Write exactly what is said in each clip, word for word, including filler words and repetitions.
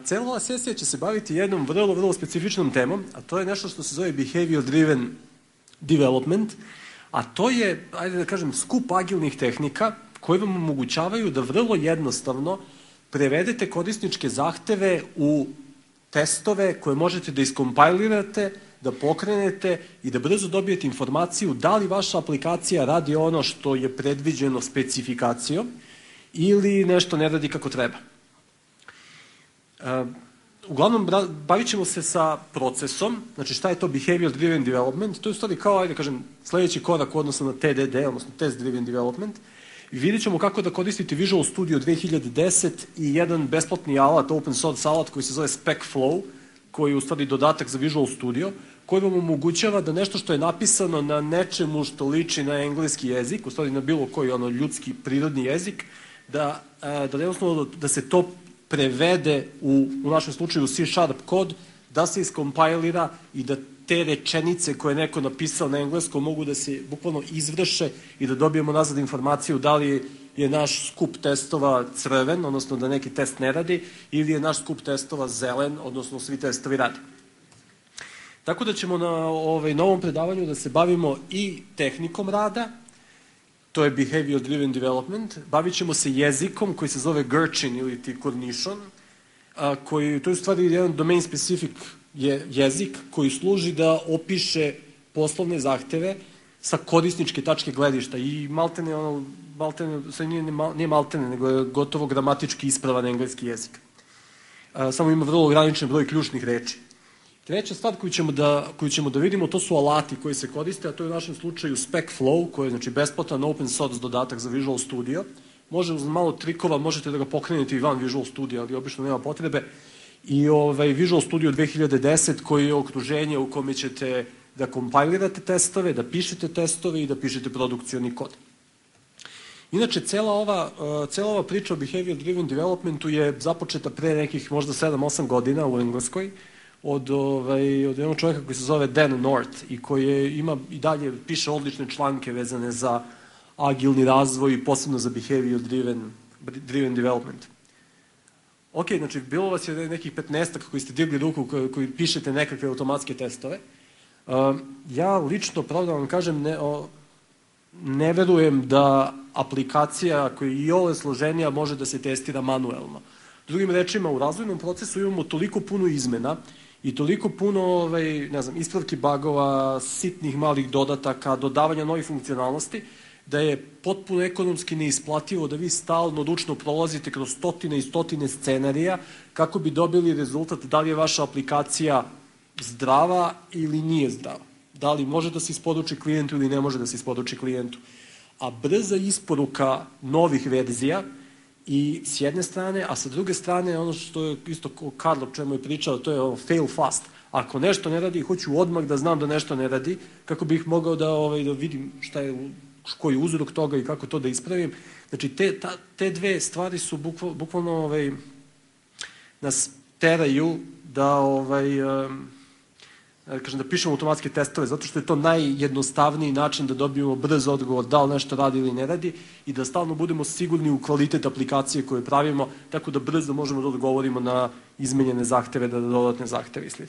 Cela ova sesija će se baviti jednom vrlo, vrlo specifičnom temom, a to je nešto što se zove behavior driven development, a to je, ajde da kažem, skup agilnih tehnika koje vam omogućavaju da vrlo jednostavno prevedete korisničke zahteve u testove koje možete da iskompajlirate, da pokrenete i da brzo dobijete informaciju da li vaša aplikacija radi ono što je predviđeno specifikacijom ili nešto ne radi kako treba. Uh, uglavnom, bavit ćemo se sa procesom, znači šta je to behavior driven development, to je u stvari kao, ajde kažem, sledeći korak u odnosu na T D D, odnosno test driven development, i vidjet ćemo kako da koristite Visual Studio dve hiljade deset i jedan besplatni alat, open source alat koji se zove SpecFlow, koji je u stvari dodatak za Visual Studio, koji vam omogućava da nešto što je napisano na nečemu što liči na engleski jezik, u stvari na bilo koji ono ljudski, prirodni jezik, da, da, jednostavno, da se to prevede u, u našem slučaju C Sharp kod, da se iskompajlira i da te rečenice koje je neko napisao na engleskom mogu da se bukvalno izvrše i da dobijemo nazad informaciju da li je naš skup testova crven, odnosno da neki test ne radi, ili je naš skup testova zelen, odnosno svi testovi radi. Tako da ćemo na ovaj, novom predavanju da se bavimo i tehnikom rada, to je behavior driven development, bavit ćemo se jezikom koji se zove Gherkin ili ti Cornichon, a, koji, to je u stvari jedan domain specific je jezik koji služi da opiše poslovne zahteve sa korisničke tačke gledišta i maltene, ono, maltene, nije, nije maltene, nego je gotovo gramatički ispravan engleski jezik. A, samo ima vrlo ograničen broj ključnih reči. Treća stvar koju ćemo, da, koju ćemo da vidimo, to su alati koji se koriste, a to je u našem slučaju SpecFlow, koji je znači, besplatan open source dodatak za Visual Studio. Može uz malo trikova, možete da ga pokrenete i van Visual Studio, ali obično nema potrebe. I ovaj, Visual Studio dve hiljade deset, koji je okruženje u kome ćete da kompajlirate testove, da pišete testove i da pišete produkcioni kod. Inače, cela ova, cela ova priča o behavior driven developmentu je započeta pre nekih možda sedam osam godina u Engleskoj, od, ovaj, od jednog čovjeka koji se zove Dan North i koji je, ima i dalje piše odlične članke vezane za agilni razvoj i posebno za behavior driven, driven development. Ok, znači, bilo vas je nekih petnaestak koji ste digli ruku, koji, koji pišete nekakve automatske testove. Uh, ja lično, pravo da vam kažem, ne, o, ne verujem da aplikacija koja je i ove složenija može da se testira manuelno. Drugim rečima, u razvojnom procesu imamo toliko puno izmena i toliko puno ovaj, ne znam, ispravki bagova, sitnih malih dodataka, dodavanja novih funkcionalnosti, da je potpuno ekonomski neisplativo da vi stalno ručno prolazite kroz stotine i stotine scenarija kako bi dobili rezultat da li je vaša aplikacija zdrava ili nije zdrava. Da li može da se isporuči klijentu ili ne može da se isporuči klijentu. A brza isporuka novih verzija i s jedne strane, a sa druge strane ono što je isto Karl o čemu je pričao, to je ono fail fast. Ako nešto ne radi, hoću odmah da znam da nešto ne radi, kako bih mogao da, ovaj, da vidim šta je, koji je uzrok toga i kako to da ispravim. Znači, te, ta, te dve stvari su bukval, bukvalno ovaj, nas teraju da, ovaj, um, kažem, da pišemo automatske testove, zato što je to najjednostavniji način da dobijemo brz odgovor da li nešto radi ili ne radi i da stalno budemo sigurni u kvalitet aplikacije koje pravimo, tako da brzo možemo da odgovorimo na izmenjene zahteve, da dodatne zahteve i sl.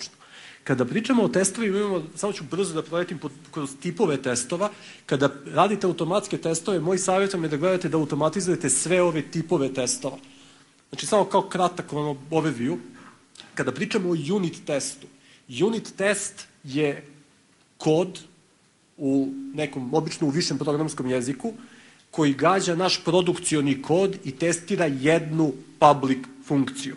Kada pričamo o testovima, imamo, samo ću brzo da proletim kroz tipove testova. Kada radite automatske testove, moj savjet vam je da gledate da automatizujete sve ove tipove testova. Znači, samo kao kratak ono, overview. Kada pričamo o unit testu, unit test je kod u nekom, obično u višem programskom jeziku, koji gađa naš produkcioni kod i testira jednu public funkciju.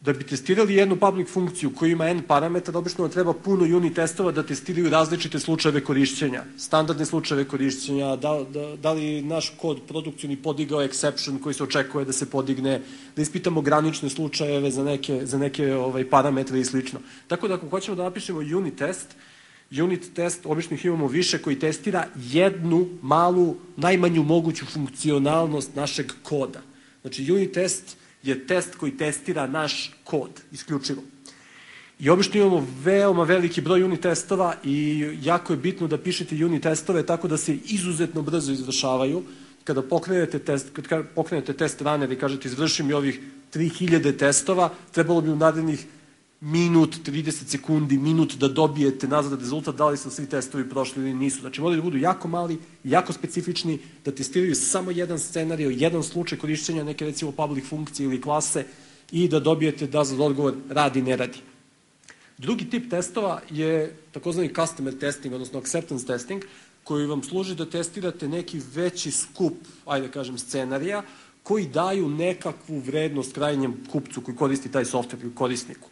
Da bi testirali jednu public funkciju koja ima n parametra, obično vam treba puno unit testova da testiraju različite slučajeve korišćenja, standardne slučajeve korišćenja, da, da, da li naš kod produkcioni podigao exception koji se očekuje da se podigne, da ispitamo granične slučajeve za neke, za neke ovaj, parametre i slično. Tako da ako hoćemo da napišemo unit test, unit test obično ih imamo više koji testira jednu malu, najmanju moguću funkcionalnost našeg koda. Znači unit test je test koji testira naš kod, isključivo. I obično imamo veoma veliki broj unit testova i jako je bitno da pišete unit testove tako da se izuzetno brzo izvršavaju. Kada pokrenete test, kada pokrenete test runner i kažete izvrši mi ovih tri hiljade testova, trebalo bi u narednih minut, trideset sekundi, minut da dobijete nazad rezultat da li su svi testovi prošli ili nisu. Znači, moraju da budu jako mali, jako specifični, da testiraju samo jedan scenario, jedan slučaj korišćenja neke, recimo, public funkcije ili klase i da dobijete nazad odgovor radi, ne radi. Drugi tip testova je takozvani customer testing, odnosno acceptance testing, koji vam služi da testirate neki veći skup, ajde da kažem, scenarija, koji daju nekakvu vrednost krajnjem kupcu koji koristi taj software ili korisniku.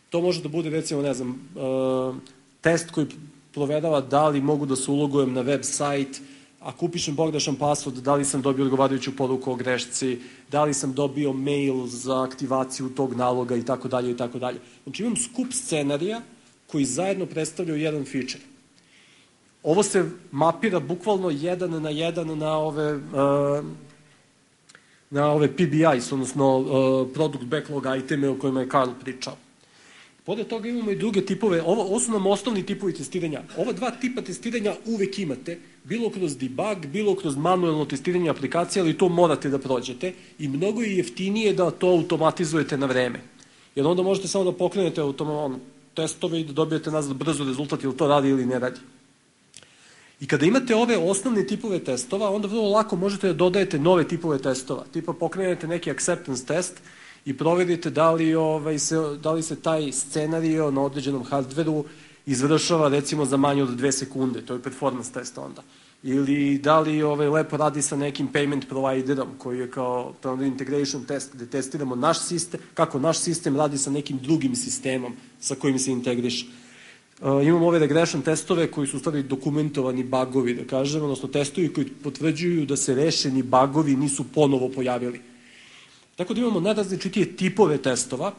To može da bude, recimo, ne znam, test koji proverava da li mogu da se ulogujem na web sajt, ako upišem pogrešan password, da li sam dobio odgovarajuću poruku o grešci, da li sam dobio mail za aktivaciju tog naloga i tako dalje i tako dalje. Znači, imam skup scenarija koji zajedno predstavljaju jedan feature. Ovo se mapira bukvalno jedan na jedan na ove, na ove P B Is, odnosno Product Backlog iteme o kojima je Karl pričao. Pored toga imamo i druge tipove, ovo, ovo su nam osnovni tipovi testiranja. Ova dva tipa testiranja uvek imate, bilo kroz debug, bilo kroz manuelno testiranje aplikacije, ali to morate da prođete i mnogo je jeftinije da to automatizujete na vreme. Jer onda možete samo da pokrenete on, testove i da dobijete nazad brzo rezultat ili to radi ili ne radi. I kada imate ove osnovne tipove testova, onda vrlo lako možete da dodajete nove tipove testova. Tipa pokrenete neki acceptance test i proverite da li, ovaj, se, da li se taj scenario na određenom hardveru izvršava recimo za manje od dve sekunde, to je performance test onda. Ili da li ovaj, lepo radi sa nekim payment providerom koji je kao integration test gde testiramo naš sistem, kako naš sistem radi sa nekim drugim sistemom sa kojim se integriše. Uh, imamo ove regression testove koji su u stvari dokumentovani bagovi, da kažem, odnosno testovi koji potvrđuju da se rešeni bagovi nisu ponovo pojavili. Tako da imamo najrazličitije tipove testova,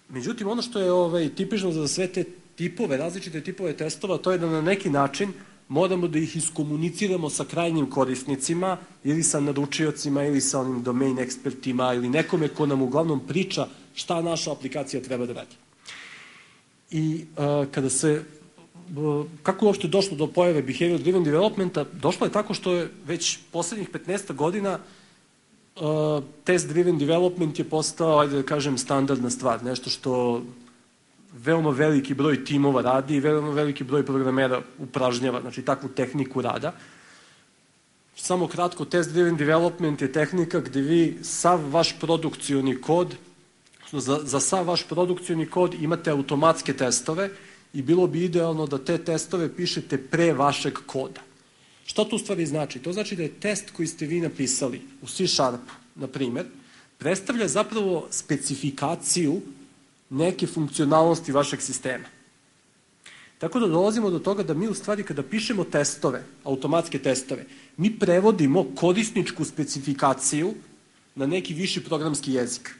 međutim ono što je ovaj, tipično za sve te tipove, različite tipove testova, to je da na neki način moramo da ih iskomuniciramo sa krajnjim korisnicima ili sa naručiocima ili sa onim domain ekspertima ili nekome ko nam uglavnom priča šta naša aplikacija treba da radi. I uh, kada se, uh, kako je uopšte došlo do pojave behavior driven developmenta, došlo je tako što je već poslednjih petnaest godina uh, test driven development je postao, ajde da kažem, standardna stvar, nešto što veoma veliki broj timova radi i veoma veliki broj programera upražnjava, znači takvu tehniku rada. Samo kratko, test driven development je tehnika gde vi sav vaš produkcioni kod Za, za sav vaš produkcioni kod imate automatske testove i bilo bi idealno da te testove pišete pre vašeg koda. Šta to u stvari znači? To znači da je test koji ste vi napisali u C Sharpu, na primer, predstavlja zapravo specifikaciju neke funkcionalnosti vašeg sistema. Tako da dolazimo do toga da mi u stvari kada pišemo testove, automatske testove, mi prevodimo korisničku specifikaciju na neki viši programski jezik.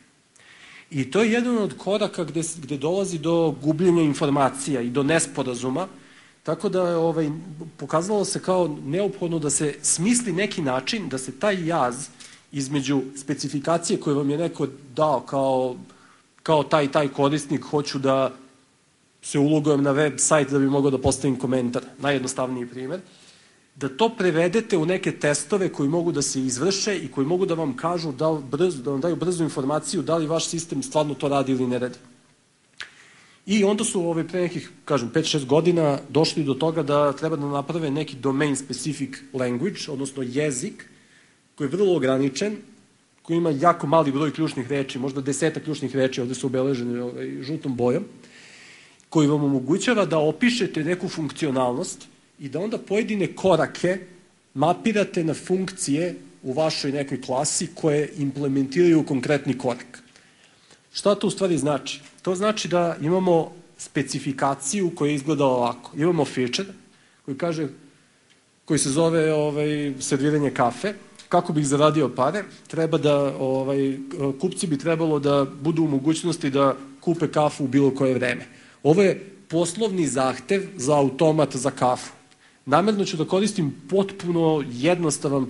I to je jedan od koraka gde, gde dolazi do gubljenja informacija i do nesporazuma, tako da je ovaj, pokazalo se kao neophodno da se smisli neki način da se taj jaz između specifikacije koje vam je neko dao kao, kao taj taj korisnik, hoću da se ulogujem na web sajt da bi mogao da postavim komentar, najjednostavniji primer, da to prevedete u neke testove koji mogu da se izvrše i koji mogu da vam kažu, da, brzo, da vam daju brzu informaciju da li vaš sistem stvarno to radi ili ne radi. I onda su ove, pre nekih, kažem, pet šest godina došli do toga da treba da naprave neki domain specific language, odnosno jezik, koji je vrlo ograničen, koji ima jako mali broj ključnih reči, možda desetak ključnih reči, ovde su obeleženi ovaj, žutom bojom, koji vam omogućava da opišete neku funkcionalnost i da onda pojedine korake mapirate na funkcije u vašoj nekoj klasi koje implementiraju konkretni korak. Šta to u stvari znači? To znači da imamo specifikaciju koja izgleda ovako. Imamo feature koji kaže, koji se zove ovaj, serviranje kafe. Kako bih zaradio pare? Treba da, ovaj, kupci bi trebalo da budu u mogućnosti da kupe kafu u bilo koje vreme. Ovo je poslovni zahtev za automat za kafu. Namerno ću da koristim potpuno jednostavan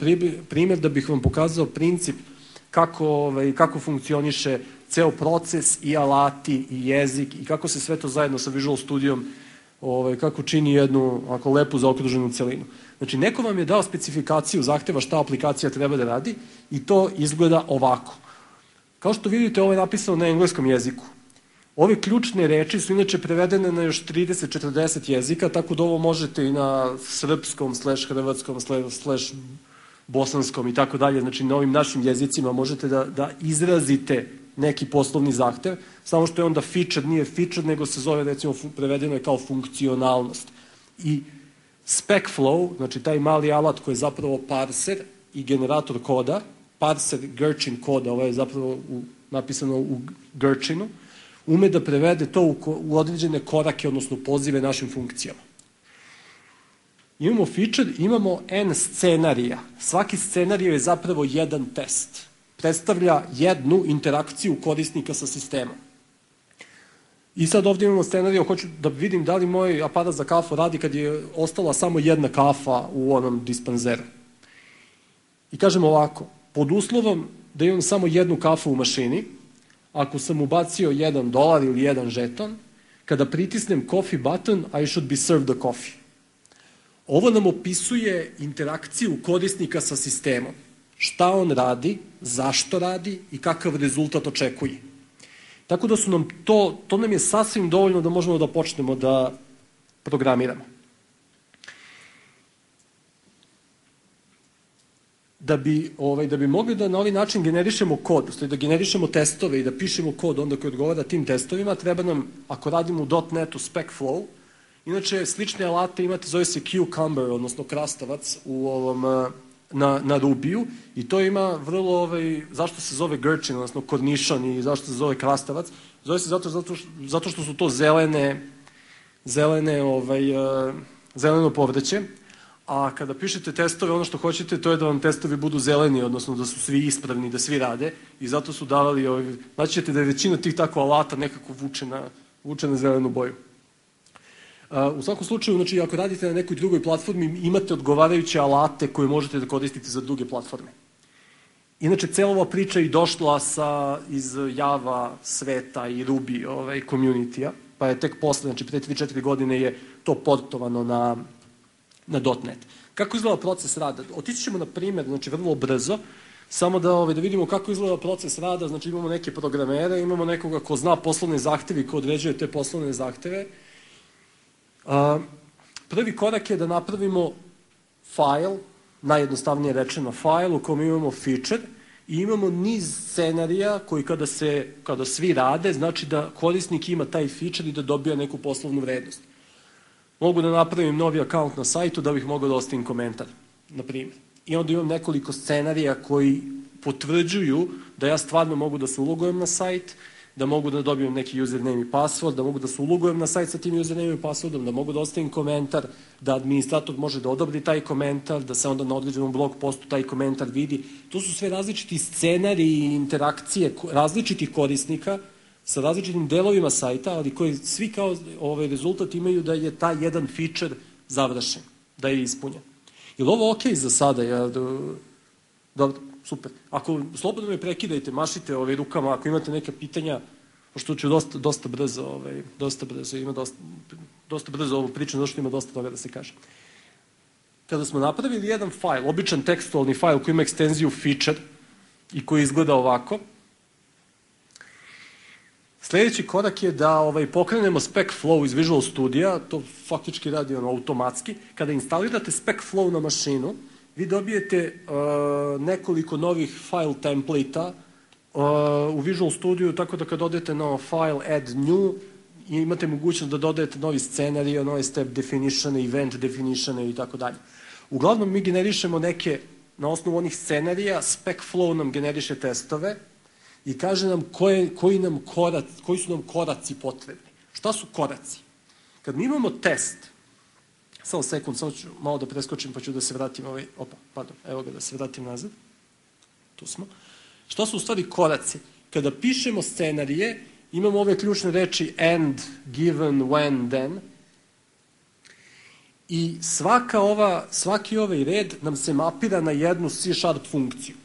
primjer da bih vam pokazao princip kako, ovaj, kako funkcioniše ceo proces i alati i jezik i kako se sve to zajedno sa Visual Studijom ovaj, kako čini jednu ako lepu zaokruženu celinu. Znači, neko vam je dao specifikaciju zahteva šta aplikacija treba da radi i to izgleda ovako. Kao što vidite, ovo je napisano na engleskom jeziku. Ove ključne reči su inače prevedene na još trideset do četrdeset jezika, tako da ovo možete i na srpskom, slash hrvatskom, slash bosanskom i tako dalje, znači na ovim našim jezicima možete da, da izrazite neki poslovni zahtev, samo što je onda feature, nije feature, nego se zove, recimo, prevedeno je kao funkcionalnost. I SpecFlow, znači taj mali alat koji je zapravo parser i generator koda, parser Gherkin koda, ovo je zapravo u, napisano u Gherkinu, ume da prevede to u, u određene korake, odnosno pozive našim funkcijama. Imamo feature, imamo n scenarija. Svaki scenarij je zapravo jedan test. Predstavlja jednu interakciju korisnika sa sistemom. I sad ovdje imamo scenarij, hoću da vidim da li moj aparat za kafu radi kad je ostala samo jedna kafa u onom dispenzeru. I kažem ovako, pod uslovom da imam samo jednu kafu u mašini, ako sam ubacio jedan dolar ili jedan žeton, kada pritisnem coffee button, I should be served the coffee. Ovo nam opisuje interakciju korisnika sa sistemom. Šta on radi, zašto radi i kakav rezultat očekuje. Tako da su nam to, to nam je sasvim dovoljno da možemo da počnemo da programiramo. Da bi, ovaj, da bi mogli da na ovaj način generišemo kod, da generišemo testove i da pišemo kod onda koji odgovara tim testovima, treba nam, ako radimo u .netu SpecFlow, inače slične alate imate, zove se Cucumber, odnosno krastavac u ovom, na, na Rubiju, i to ima vrlo, ovaj, zašto se zove Gherkin, odnosno kornišon, i zašto se zove krastavac, zove se zato, zato, zato što su to zelene, zelene, ovaj, zeleno povrće. A kada pišete testove, ono što hoćete, to je da vam testovi budu zeleni, odnosno da su svi ispravni, da svi rade, i zato su davali, ovaj, znači ćete da je većina tih tako alata nekako vuče na, vuče na zelenu boju. Uh, u svakom slučaju, znači, ako radite na nekoj drugoj platformi, imate odgovarajuće alate koje možete da koristite za druge platforme. Inače, cela ova priča je došla sa, iz Java sveta i Ruby ovaj, community-a, pa je tek posle, znači, pre tri do četiri godine je to portovano na na .net. Kako izgleda proces rada? Otići ćemo na primjer, znači vrlo brzo, samo da, ovaj, da vidimo kako izgleda proces rada, znači imamo neke programere, imamo nekoga ko zna poslovne zahteve i ko određuje te poslovne zahteve. A, prvi korak je da napravimo file, najjednostavnije rečeno file u kojem imamo feature i imamo niz scenarija koji kada, se, kada svi rade, znači da korisnik ima taj feature i da dobija neku poslovnu vrednost. Mogu da napravim novi akaunt na sajtu da bih mogao da ostavim komentar, na primjer. I onda imam nekoliko scenarija koji potvrđuju da ja stvarno mogu da se ulogujem na sajt, da mogu da dobijem neki username i password, da mogu da se ulogujem na sajt sa tim username i passwordom, da mogu da ostavim komentar, da administrator može da odobri taj komentar, da se onda na određenom blog postu taj komentar vidi. To su sve različiti scenariji i interakcije različitih korisnika sa različitim delovima sajta, ali koji svi kao ovaj rezultat imaju da je taj jedan feature završen, da je ispunjen. Je li ovo okej za sada? Ja, dobro, super. Ako slobodno me prekidajte, mašite ovaj, rukama, ako imate neka pitanja, pošto ću dosta, dosta brzo, ovaj, dosta brzo, ima dosta, dosta brzo ovu priču, zato što ima dosta toga da se kaže. Kada smo napravili jedan file, običan tekstualni file koji ima ekstenziju feature i koji izgleda ovako, sljedeći korak je da ovaj, pokrenemo SpecFlow iz Visual Studio, to faktički radi ono, automatski. Kada instalirate SpecFlow na mašinu, vi dobijete uh, nekoliko novih file template-a uh, u Visual Studio, tako da kad odete na file add new, imate mogućnost da dodajete novi scenarij, nove step definition, event definition i tako dalje. Uglavnom mi generišemo neke, na osnovu onih scenarija, SpecFlow nam generiše testove, i kaže nam koje, koji, nam korac, koji su nam koraci potrebni. Šta su koraci? Kad mi imamo test, samo sekund, samo ću malo da preskočim pa ću da se vratim, ovaj, opa, pardon, evo ga da se vratim nazad. Tu smo. Šta su u stvari koraci? Kada pišemo scenarije, imamo ove ključne reči and, given, when, then, i svaka ova, svaki ovaj red nam se mapira na jednu C Sharp funkciju.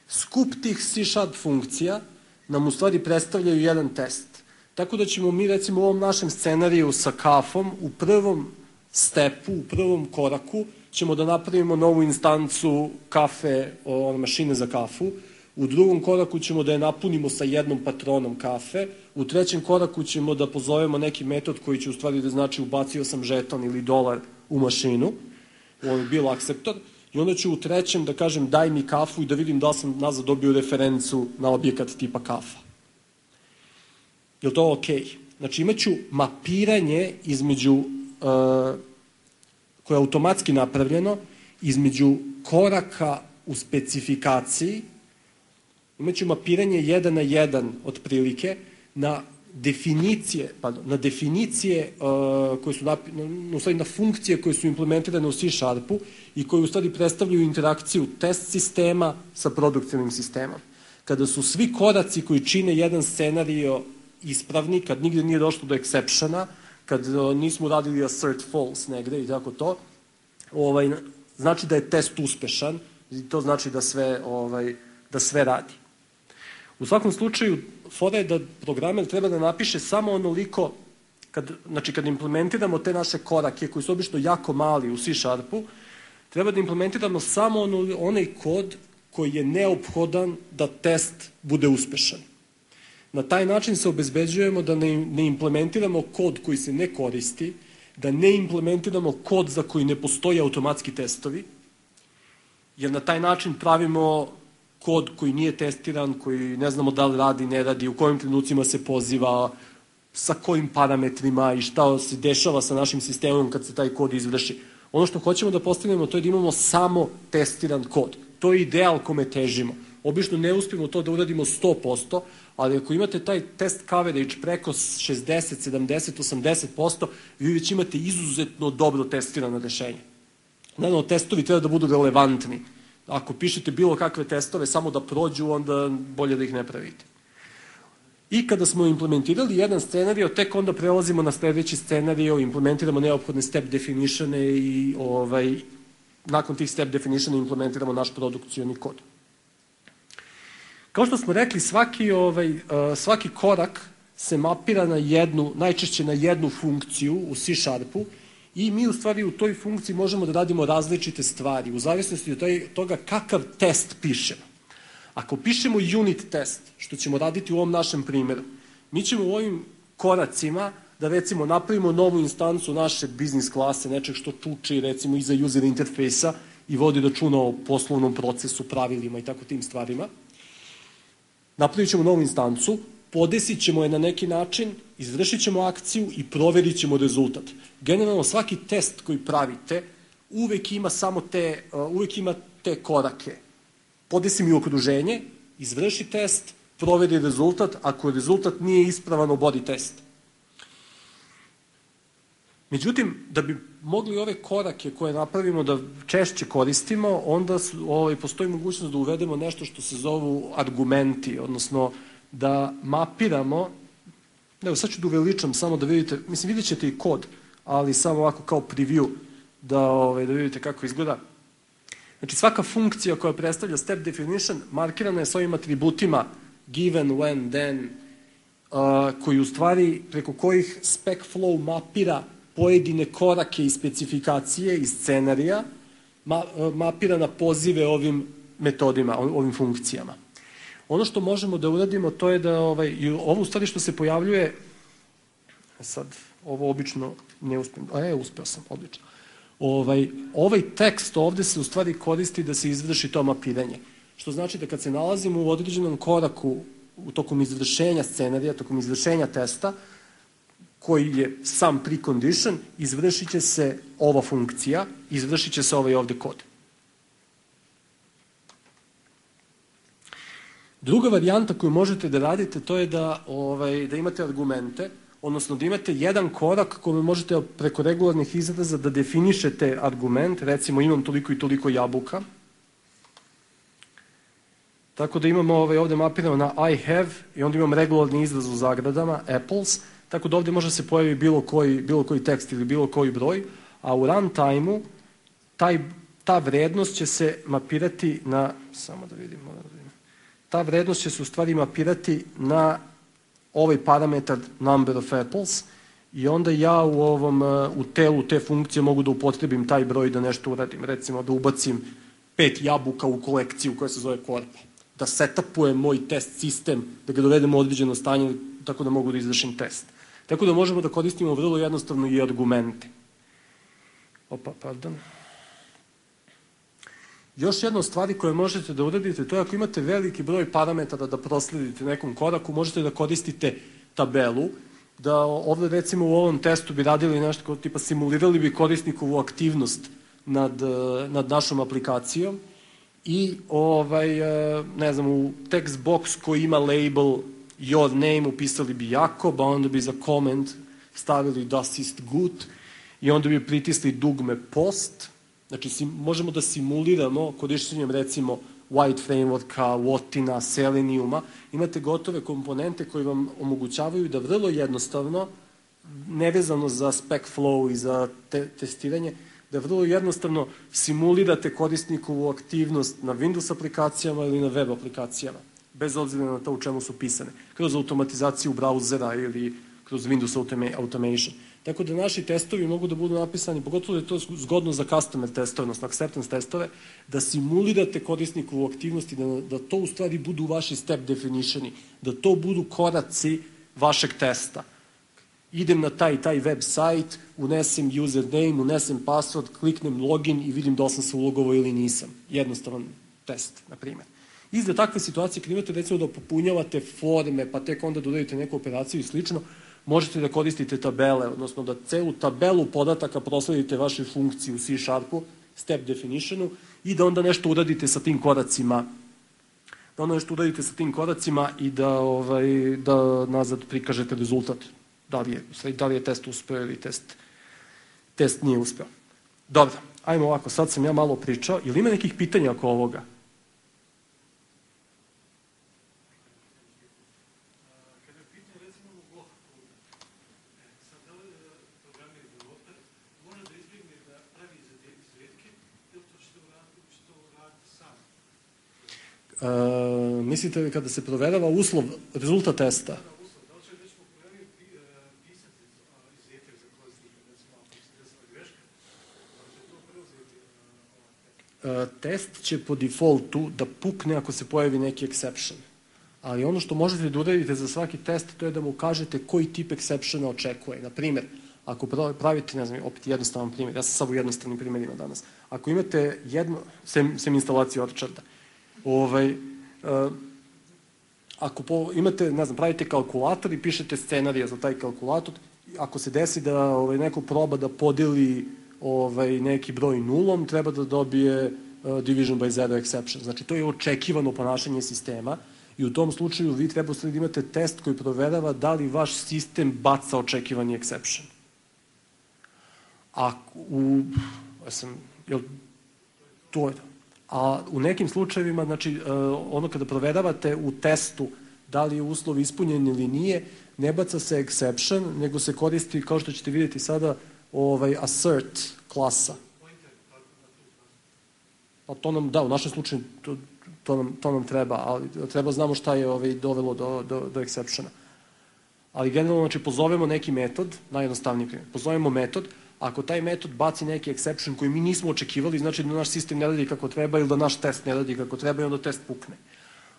Skup tih C Sharp funkcija nam u stvari predstavljaju jedan test. Tako da ćemo mi recimo u ovom našem scenariju sa kafom u prvom stepu, u prvom koraku ćemo da napravimo novu instancu kafe, o, mašine za kafu. u drugom koraku ćemo da je napunimo sa jednom patronom kafe, u trećem koraku ćemo da pozovemo neki metod koji će u stvari da znači ubacio sam žeton ili dolar u mašinu, on je bio akceptor, i onda ću u trećem da kažem daj mi kafu i da vidim da li sam nazad dobio referencu na objekat tipa kafa. Je li to okej? Znači imaću mapiranje između, uh, koje je automatski napravljeno, između koraka u specifikaciji, imaću mapiranje jedan na jedan otprilike na definicije, pardon, na definicije uh, koje su, napi, na, u stvari na funkcije koje su implementirane u C Sharpu i koje u stvari predstavljaju interakciju test sistema sa produkcijnim sistemom. Kada su svi koraci koji čine jedan scenario ispravni, kad nigde nije došlo do exceptiona, kad uh, nismo radili assert false negde i tako to, ovaj, znači da je test uspešan i to znači da sve, ovaj, da sve radi. U svakom slučaju, fora je da programer treba da napiše samo onoliko, kad, znači kad implementiramo te naše korake koji su obično jako mali u C Sharpu, treba da implementiramo samo ono, onaj kod koji je neophodan da test bude uspešan. Na taj način se obezbeđujemo da ne, ne implementiramo kod koji se ne koristi, da ne implementiramo kod za koji ne postoji automatski testovi, jer na taj način pravimo kod koji nije testiran, koji ne znamo da li radi, ne radi, u kojim trenucima se poziva, sa kojim parametrima i šta se dešava sa našim sistemom kad se taj kod izvrši. Ono što hoćemo da postavimo to je da imamo samo testiran kod. To je ideal kome težimo. Obično ne uspijemo to da uradimo sto posto, ali ako imate taj test coverage preko šezdeset, sedamdeset, osamdeset posto, vi već imate izuzetno dobro testirano rešenje. Naravno, testovi treba da budu relevantni. Ako pišete bilo kakve testove samo da prođu, onda bolje da ih ne pravite. I kada smo implementirali jedan scenario, tek onda prelazimo na sledeći scenario, implementiramo neophodne step definitione i ovaj, nakon tih step definitiona implementiramo naš produkcioni kod. Kao što smo rekli, svaki, ovaj, svaki korak se mapira na jednu, najčešće na jednu funkciju u C Sharpu i mi u stvari u toj funkciji možemo da radimo različite stvari u zavisnosti od toga kakav test pišemo. Ako pišemo unit test, što ćemo raditi u ovom našem primjeru, mi ćemo u ovim koracima da recimo napravimo novu instancu naše biznis klase, nečeg što čuči recimo iza user interfejsa i vodi računa o poslovnom procesu, pravilima i tako tim stvarima. Napravit ćemo novu instancu, podesit ćemo je na neki način, izvršit ćemo akciju i proverit ćemo rezultat. Generalno svaki test koji pravite uvek ima samo te, uvek ima te korake. Podesi mi okruženje, izvrši test, proveri rezultat, ako rezultat nije ispravan, obodi test. Međutim, da bi mogli ove korake koje napravimo da češće koristimo, onda ovaj, postoji mogućnost da uvedemo nešto što se zovu argumenti, odnosno da mapiramo, evo sad ću da uveličam samo da vidite, mislim vidjet ćete i kod, ali samo ovako kao preview da, ovaj, da vidite kako izgleda. Znači svaka funkcija koja predstavlja step definition markirana je s ovim atributima given, when, then, uh, koji u stvari preko kojih spec flow mapira pojedine korake i specifikacije iz scenarija, ma, mapira na pozive ovim metodima, ovim funkcijama. Ono što možemo da uradimo to je da ovaj, ovo u stvari što se pojavljuje, sad ovo obično ne uspijem, a je, uspeo sam, odlično. Ovaj, ovaj tekst ovde se u stvari koristi da se izvrši to mapiranje. Što znači da kad se nalazimo u određenom koraku u tokom izvršenja scenarija, tokom izvršenja testa, koji je sam precondition, izvršit će se ova funkcija, izvršit će se ovaj ovde kod. Druga varijanta koju možete da radite, to je da, ovaj, da imate argumente, odnosno da imate jedan korak kome možete preko regularnih izraza da definišete argument, recimo imam toliko i toliko jabuka. Tako da imamo ovaj, ovde mapirano na I have i onda imam regularni izraz u zagradama, apples, tako da ovde može se pojavi bilo koji, bilo koji tekst ili bilo koji broj, a u runtime-u taj, ta vrednost će se mapirati na, samo da vidim, ta vrednost će se u stvari mapirati na ovaj parametar number of apples i onda ja u ovom u telu te funkcije mogu da upotrebim taj broj da nešto uradim. Recimo da ubacim pet jabuka u kolekciju koja se zove korpa. da setapujem moj test sistem, da ga dovedem u određeno stanje tako da mogu da izvršim test. Tako da možemo da koristimo vrlo jednostavno i argumente. Opa, pardon. Još jedna od stvari koje možete da uradite, to je ako imate veliki broj parametara da prosledite nekom koraku, možete da koristite tabelu, da ovde recimo u ovom testu bi radili nešto kao tipa simulirali bi korisnikovu aktivnost nad, nad našom aplikacijom i ovaj, ne znam, u text box koji ima label your name upisali bi Jakob, a onda bi za comment stavili das ist gut i onda bi pritisli dugme post. Znači, možemo da simuliramo korišćenjem recimo White Frameworka, Wotina, Seleniuma. Imate gotove komponente koji vam omogućavaju da vrlo jednostavno, nevezano za spec flow i za te testiranje, da vrlo jednostavno simulirate korisnikovu aktivnost na Windows aplikacijama ili na web aplikacijama, bez obzira na to u čemu su pisane, kroz automatizaciju brauzera ili kroz Windows Automation. Tako da naši testovi mogu da budu napisani, pogotovo da je to zgodno za customer testove, odnosno acceptance testove, da simulirate korisnikovu aktivnost i da, da to u stvari budu vaši step definitioni, da to budu koraci vašeg testa. Idem na taj taj web sajt, unesem username, unesem password, kliknem login i vidim da li sam se ulogovao ili nisam. Jednostavan test, na primjer. I za takve situacije, kad imate recimo da popunjavate forme, pa tek onda dodajete neku operaciju i slično, možete da koristite tabele, odnosno da celu tabelu podataka prosledite vašoj funkciji u C Sharpu, step definitionu, i da onda nešto uradite sa tim koracima, da onda nešto uradite sa tim koracima i da, ovaj, da nazad prikažete rezultat. Da li je, da li je test uspeo ili test, test nije uspeo. Dobro, ajmo ovako, sad sam ja malo pričao. Ili ima nekih pitanja oko ovoga? Uh, mislite li kada se proverava uslov, rezultat testa? Uh, test će po defaultu da pukne ako se pojavi neki exception. Ali ono što možete da uradite za svaki test, to je da mu kažete koji tip exceptiona očekuje. Na primjer, ako pravite, ne znam, opet jednostavan primjer, ja sam sad u jednostavnim primjerima danas. Ako imate jedno, sem, sem instalaciju Orcharda, Ovaj, uh, ako po, imate, ne znam, pravite kalkulator i pišete scenarija za taj kalkulator, ako se desi da ovaj, neko proba da podeli ovaj, neki broj nulom, treba da dobije uh, division by zero exception. Znači, to je očekivano ponašanje sistema i u tom slučaju vi treba da imate test koji proverava da li vaš sistem baca očekivani exception. A u, ja sam, jel, to je to. A u nekim slučajevima, znači, ono kada proveravate u testu da li je uslov ispunjen ili nije, ne baca se exception, nego se koristi, kao što ćete vidjeti sada, ovaj, assert klasa. A to nam, da, u našem slučaju to, to, nam, to nam treba, ali treba znamo šta je ovaj, dovelo do, do, do exceptiona. Ali generalno, znači, pozovemo neki metod, najjednostavniji primjer, pozovemo metod, ako taj metod baci neki exception koji mi nismo očekivali, znači da naš sistem ne radi kako treba ili da naš test ne radi kako treba i onda test pukne.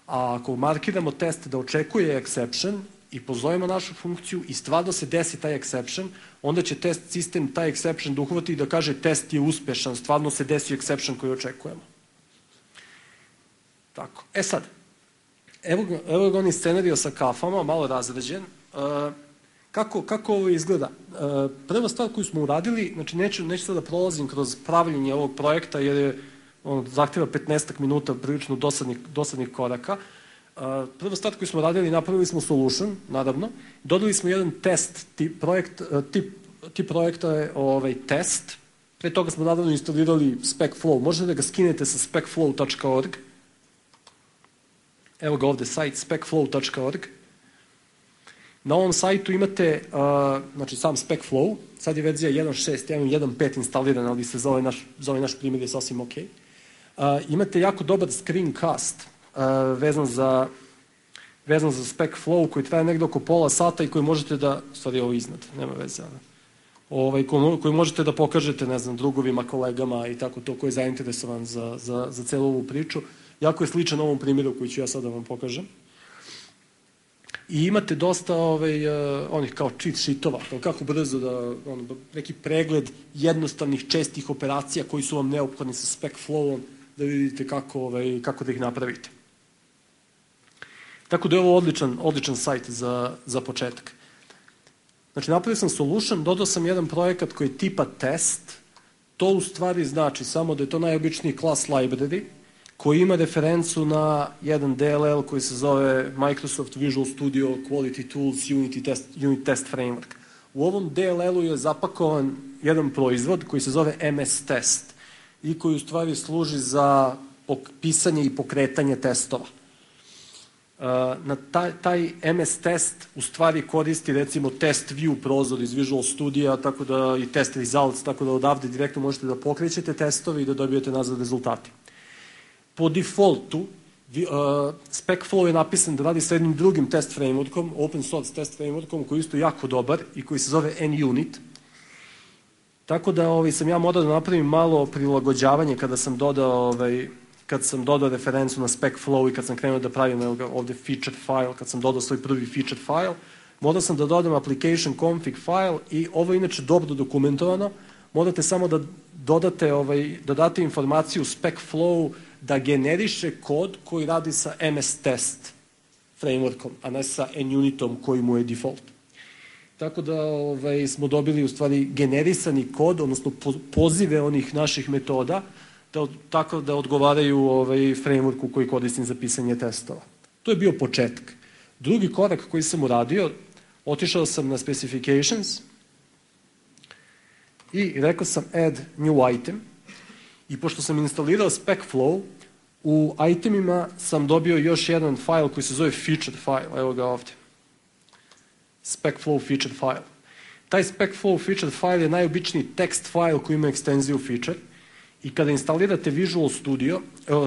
A ako markiramo test da očekuje exception i pozovemo našu funkciju i stvarno se desi taj exception, onda će test sistem taj exception da uhvati i da kaže test je uspešan, stvarno se desi exception koji očekujemo. Tako. E sad, evo, evo ga oni scenario sa kafama, malo razređen. Uh, Kako, kako ovo izgleda? E, prva stvar koju smo uradili, znači neću, neću sada da prolazim kroz pravljenje ovog projekta jer je on zahtjeva petnaestak minuta prilično dosadnih, dosadnih koraka. E, prva stvar koju smo radili, napravili smo solution, naravno, dodali smo jedan test, tip, projekt, tip, tip projekta je ovaj, test, pre toga smo naravno instalirali SpecFlow, možete da ga skinete sa specflow tačka org, evo ga ovde sajt specflow tačka org. Na ovom sajtu imate, uh, znači, sam SpecFlow, sad je verzija jedan šest, jedan pet instalirana, ali se za ovaj naš, za ovaj naš primjer je sasvim ok. Uh, imate jako dobar screencast uh, vezan za, vezan za SpecFlow koji traje negde oko pola sata i koji možete da, stvari ovo iznad, nema veze, ovaj, koji možete da pokažete, ne znam, drugovima, kolegama i tako to, ko je zainteresovan za, za, za celu ovu priču. Jako je sličan ovom primjeru koji ću ja sada vam pokažem. I imate dosta ovaj, uh, onih kao cheat sheetova, kako brzo da, ono, neki pregled jednostavnih čestih operacija koji su vam neophodni sa spec flowom, da vidite kako, ovaj, kako da ih napravite. Tako da je ovo odličan, odličan sajt za, za početak. Znači, napravio sam solution, dodao sam jedan projekat koji je tipa test. To u stvari znači samo da je to najobičniji class library koji ima referencu na jedan D L L koji se zove Microsoft Visual Studio Quality Tools Unity Test, Unit Test Framework. U ovom D L L-u je zapakovan jedan proizvod koji se zove M S Test i koji u stvari služi za pisanje i pokretanje testova. Na taj, taj M S test u stvari koristi recimo test view prozor iz Visual Studio, tako da i test results, tako da odavde direktno možete da pokrećete testove i da dobijete nazad rezultati. Po defaultu, uh, SpecFlow je napisan da radi sa jednim drugim test frameworkom, open source test frameworkom, koji je isto jako dobar i koji se zove NUnit. Tako da ovaj, sam ja morao da napravim malo prilagođavanje kada sam dodao ovaj, kad sam dodao referencu na SpecFlow i kad sam krenuo da pravim ovde featured file, kad sam dodao svoj prvi featured file, morao sam da dodam application config file i ovo je inače dobro dokumentovano, morate samo da dodate, ovaj, da date informaciju SpecFlow da generiše kod koji radi sa M S test frameworkom, a ne sa NUnitom koji mu je default. Tako da ovaj, smo dobili u stvari generisani kod, odnosno pozive onih naših metoda, da, tako da odgovaraju ovaj, frameworku koji koristim za pisanje testova. To je bio početak. Drugi korak koji sam uradio, otišao sam na specifications i rekao sam add new item i pošto sam instalirao SpecFlow, u itemima sam dobio još jedan file koji se zove featured file, evo ga ovde. SpecFlow featured file. Taj SpecFlow featured file je najobičniji text file koji ima ekstenziju feature. I kada instalirate Visual Studio,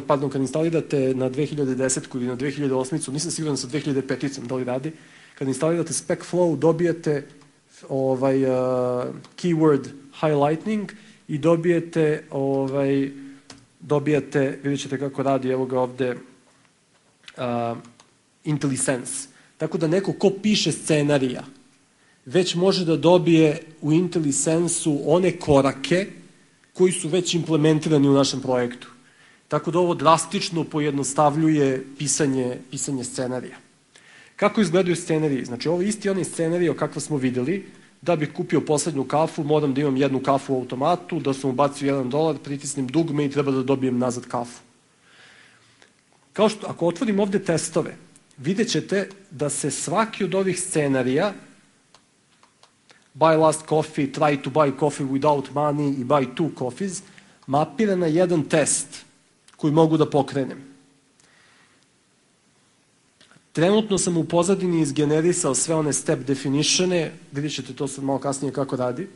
pardon, kada instalirate na dve hiljade desete ili na dve hiljade osme, nisam siguran sa dve hiljade pete da li radi, kada instalirate SpecFlow dobijete ovaj, uh, keyword highlighting i dobijete, ovaj, dobijete, vidjet ćete kako radi, evo ga ovde, uh, IntelliSense. Tako da neko ko piše scenarija već može da dobije u IntelliSense-u one korake koji su već implementirani u našem projektu. Tako da ovo drastično pojednostavljuje pisanje, pisanje scenarija. Kako izgledaju scenariji? Znači, ovo je isti onaj scenarij o kakva smo videli. Da bih kupio poslednju kafu, moram da imam jednu kafu u automatu, da sam ubacio jedan dolar, pritisnem dugme i treba da dobijem nazad kafu. Kao što, ako otvorim ovde testove, vidjet ćete da se svaki od ovih scenarija buy last coffee, try to buy coffee without money i buy two coffees, mapira na jedan test koji mogu da pokrenem. Trenutno sam u pozadini izgenerisao sve one step definitione, vidjet ćete to sad malo kasnije kako radi.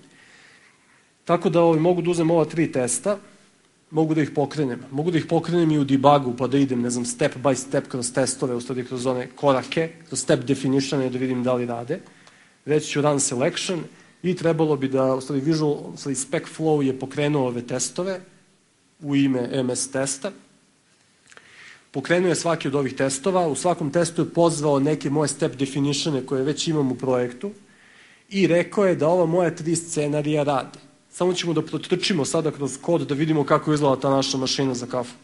Tako da ovaj, mogu da uzem ova tri testa, mogu da ih pokrenem. Mogu da ih pokrenem i u debugu, pa da idem, ne znam, step by step kroz testove, u stvari kroz one korake, kroz step definitione da vidim da li rade. Reći ću run selection i trebalo bi da, u stvari Visual, u stvari SpecFlow je pokrenuo ove testove u ime M S testa. Pokrenuo je svaki od ovih testova, u svakom testu je pozvao neke moje step definitione koje već imam u projektu i rekao je da ova moja tri scenarija rade. Samo ćemo da protrčimo sada kroz kod da vidimo kako izgleda ta naša mašina za kafu.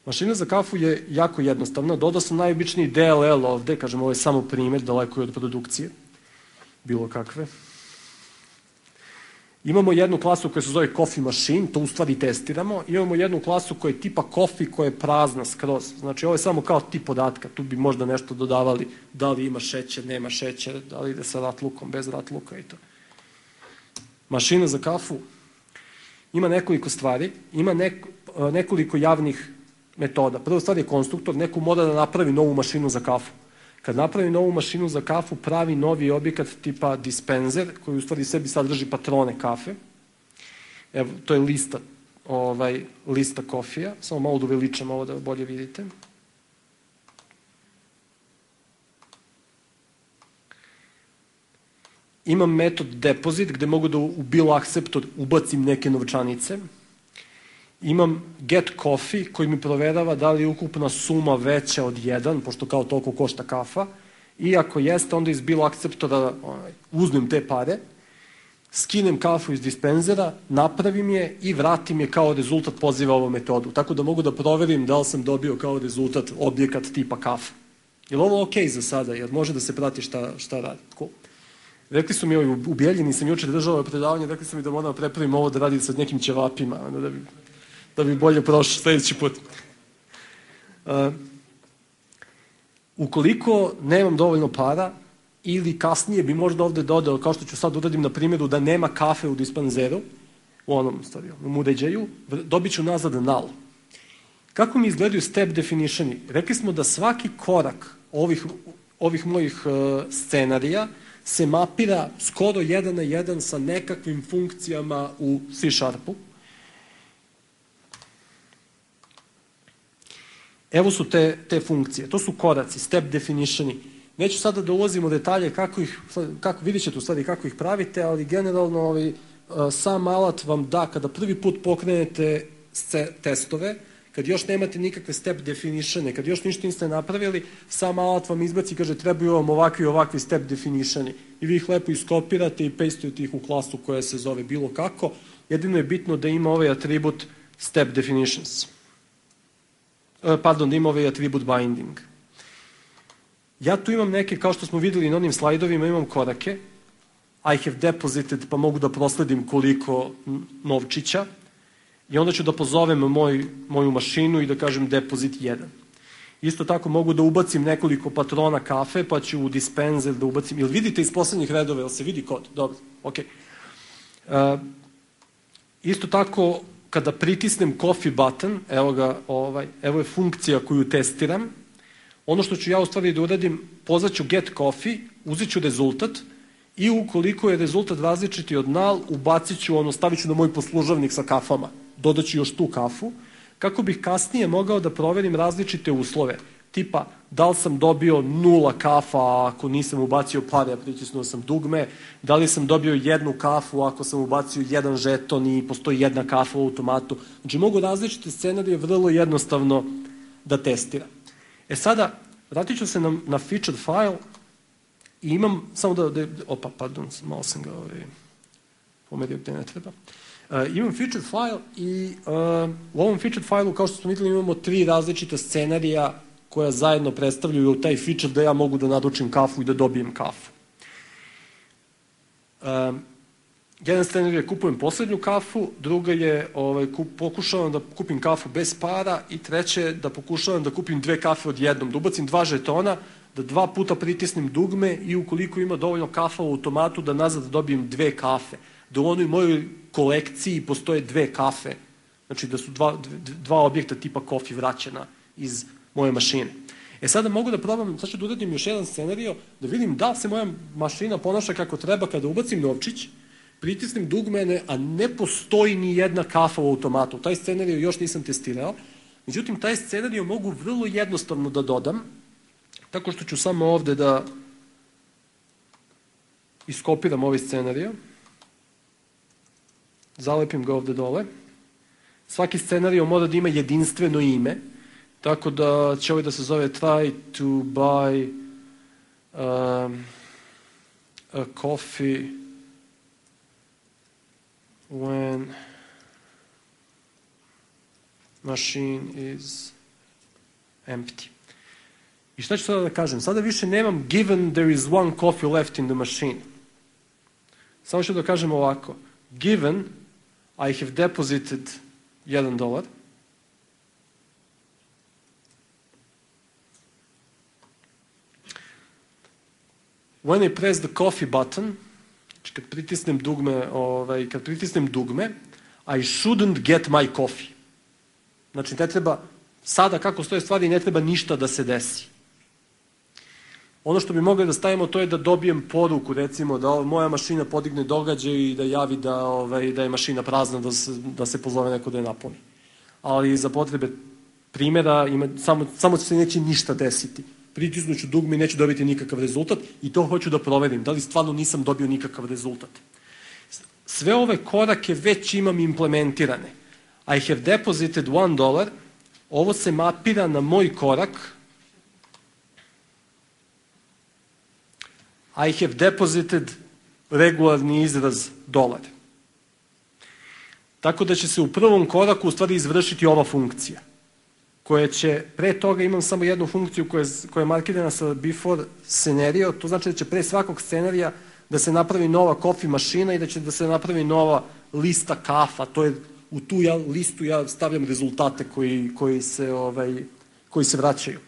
Mašina za kafu je jako jednostavna. Dodao sam najobičniji D L L ovde, kažem, ovo je samo primjer, daleko je od produkcije, bilo kakve. Imamo jednu klasu koja se zove Coffee Machine, to u stvari testiramo. Imamo jednu klasu koja je tipa Coffee, koja je prazna skroz. Znači, ovo je samo kao tip podatka. Tu bi možda nešto dodavali, da li ima šećer, nema šećer, da li ide sa ratlukom, bez ratluka i to. Mašina za kafu ima nekoliko stvari, ima neko, nekoliko javnih metoda. Prva stvar je konstruktor, neko mora da napravi novu mašinu za kafu. Kad napravi novu mašinu za kafu, pravi novi objekat tipa dispenser, koji u stvari sebi sadrži patrone kafe. Evo, to je lista, ovaj, lista kofija. Samo malo da uveličam ovo da bolje vidite. imam metod deposit gde mogu da u bill acceptor ubacim neke novčanice. Imam get coffee koji mi proverava da li je ukupna suma veća od jedan, pošto kao toliko košta kafa. I ako jeste, onda iz bill acceptora uzmem te pare, skinem kafu iz dispenzera, napravim je i vratim je kao rezultat poziva ovu metodu. Tako da mogu da proverim da li sam dobio kao rezultat objekat tipa kafa. Je li ovo okej za sada? Jer može da se prati šta, šta radi? Cool. Rekli su mi, u Bijeljini sam jučer držao predavanje, rekli su mi da moram prepravim ovo da radim sa nekim ćevapima, da bi, da bi bolje prošao sledeći put. Uh, ukoliko nemam dovoljno para, ili kasnije bi možda ovde dodao, kao što ću sad uradim na primjeru, da nema kafe u dispanzeru, u onom stvari, u uređaju, dobit ću nazad null. Kako mi izgledaju step definitioni? Rekli smo da svaki korak ovih, ovih mojih uh, scenarija se mapira skoro jedan na jedan sa nekakvim funkcijama u C Sharpu. Evo su te, te funkcije. To su koraci, step definitioni. Neću sada da ulazim u detalje kako ih, kako, vidjet ćete u stvari kako ih pravite, ali generalno ovaj, sam alat vam da, kada prvi put pokrenete testove, kad još nemate nikakve step definitione, kad još ništa niste napravili, sam alat vam izbaci i kaže trebaju vam ovakvi i ovakvi step definitioni. I vi ih lepo iskopirate i pastujete ih u klasu koja se zove bilo kako. Jedino je bitno da ima ovaj atribut step definitions. Pardon, da ima ovaj atribut binding. Ja tu imam neke, kao što smo videli na onim slajdovima, imam korake. I have deposited, pa mogu da prosledim koliko novčića. I onda ću da pozovem moj, moju mašinu i da kažem deposit jedan. Isto tako mogu da ubacim nekoliko patrona kafe, pa ću u dispenser da ubacim. Jel vidite iz poslednjih redova, jel se vidi kod? Dobro, okej. Okay. Uh, isto tako, kada pritisnem coffee button, evo ga, ovaj, evo je funkcija koju testiram. Ono što ću ja u stvari da uradim, pozvaću get coffee, uzet ću rezultat i ukoliko je rezultat različiti od null, ubacit ću, ono, stavit ću na moj poslužavnik sa kafama. Dodat ću još tu kafu, kako bih kasnije mogao da proverim različite uslove. Tipa, da li sam dobio nula kafa ako nisam ubacio pare, a pritisnuo sam dugme, da li sam dobio jednu kafu ako sam ubacio jedan žeton i postoji jedna kafa u automatu. Znači, mogu različite scenarije vrlo jednostavno da testiram. E sada, vratit ću se na, na featured file i imam, samo da, da opa, pardon, malo sam ga ovaj, pomerio gde ne treba. Uh, imam featured file i uh, u ovom featured fileu, kao što smo videli, imamo tri različita scenarija koja zajedno predstavljaju taj feature da ja mogu da naručim kafu i da dobijem kafu. Uh, jedan scenarij je kupujem poslednju kafu, druga je ovaj, kup, pokušavam da kupim kafu bez para i treće je da pokušavam da kupim dve kafe odjednom, da ubacim dva žetona, da dva puta pritisnem dugme i ukoliko ima dovoljno kafa u automatu da nazad dobijem dve kafe. Da u onoj mojoj kolekciji postoje dve kafe, znači da su dva, dva objekta tipa kofi vraćena iz moje mašine. E sada mogu da probam, sad ću da uradim još jedan scenario, da vidim da se moja mašina ponaša kako treba kada ubacim novčić, pritisnem dugmene, a ne postoji ni jedna kafa u automatu. Taj scenario još nisam testirao, međutim taj scenario mogu vrlo jednostavno da dodam, tako što ću samo ovde da iskopiram ovaj scenario, zalepim ga ovde dole. Svaki scenario mora da ima jedinstveno ime, tako da će ovaj da se zove try to buy um, a coffee when machine is empty. I šta ću sada da kažem? Sada više nemam given there is one coffee left in the machine. Samo ću da kažem ovako. Given I have deposited jedan dolar. When I press the coffee button, znači kad pritisnem dugme, ovaj, kad pritisnem dugme, I shouldn't get my coffee. Znači ne treba, sada kako stoje stvari, ne treba ništa da se desi. Ono što bi mogli da stavimo, to je da dobijem poruku, recimo, da moja mašina podigne događaj i da javi da, ovaj, da je mašina prazna, da se, da se pozove neko da je napuni. Ali za potrebe primjera ima, samo, samo se neće ništa desiti. pritisnuću dugme i neću dobiti nikakav rezultat i to hoću da proverim, da li stvarno nisam dobio nikakav rezultat. Sve ove korake već imam implementirane. I have deposited one dollar, ovo se mapira na moj korak. I have deposited regularni izraz dolar. Tako da će se u prvom koraku u stvari izvršiti ova funkcija, koja će, pre toga imam samo jednu funkciju koja je, koja je markirana sa before scenario, to znači da će pre svakog scenarija da se napravi nova coffee mašina i da će da se napravi nova lista kafa, to je u tu ja, listu ja stavljam rezultate koji, koji, se, ovaj, koji se vraćaju.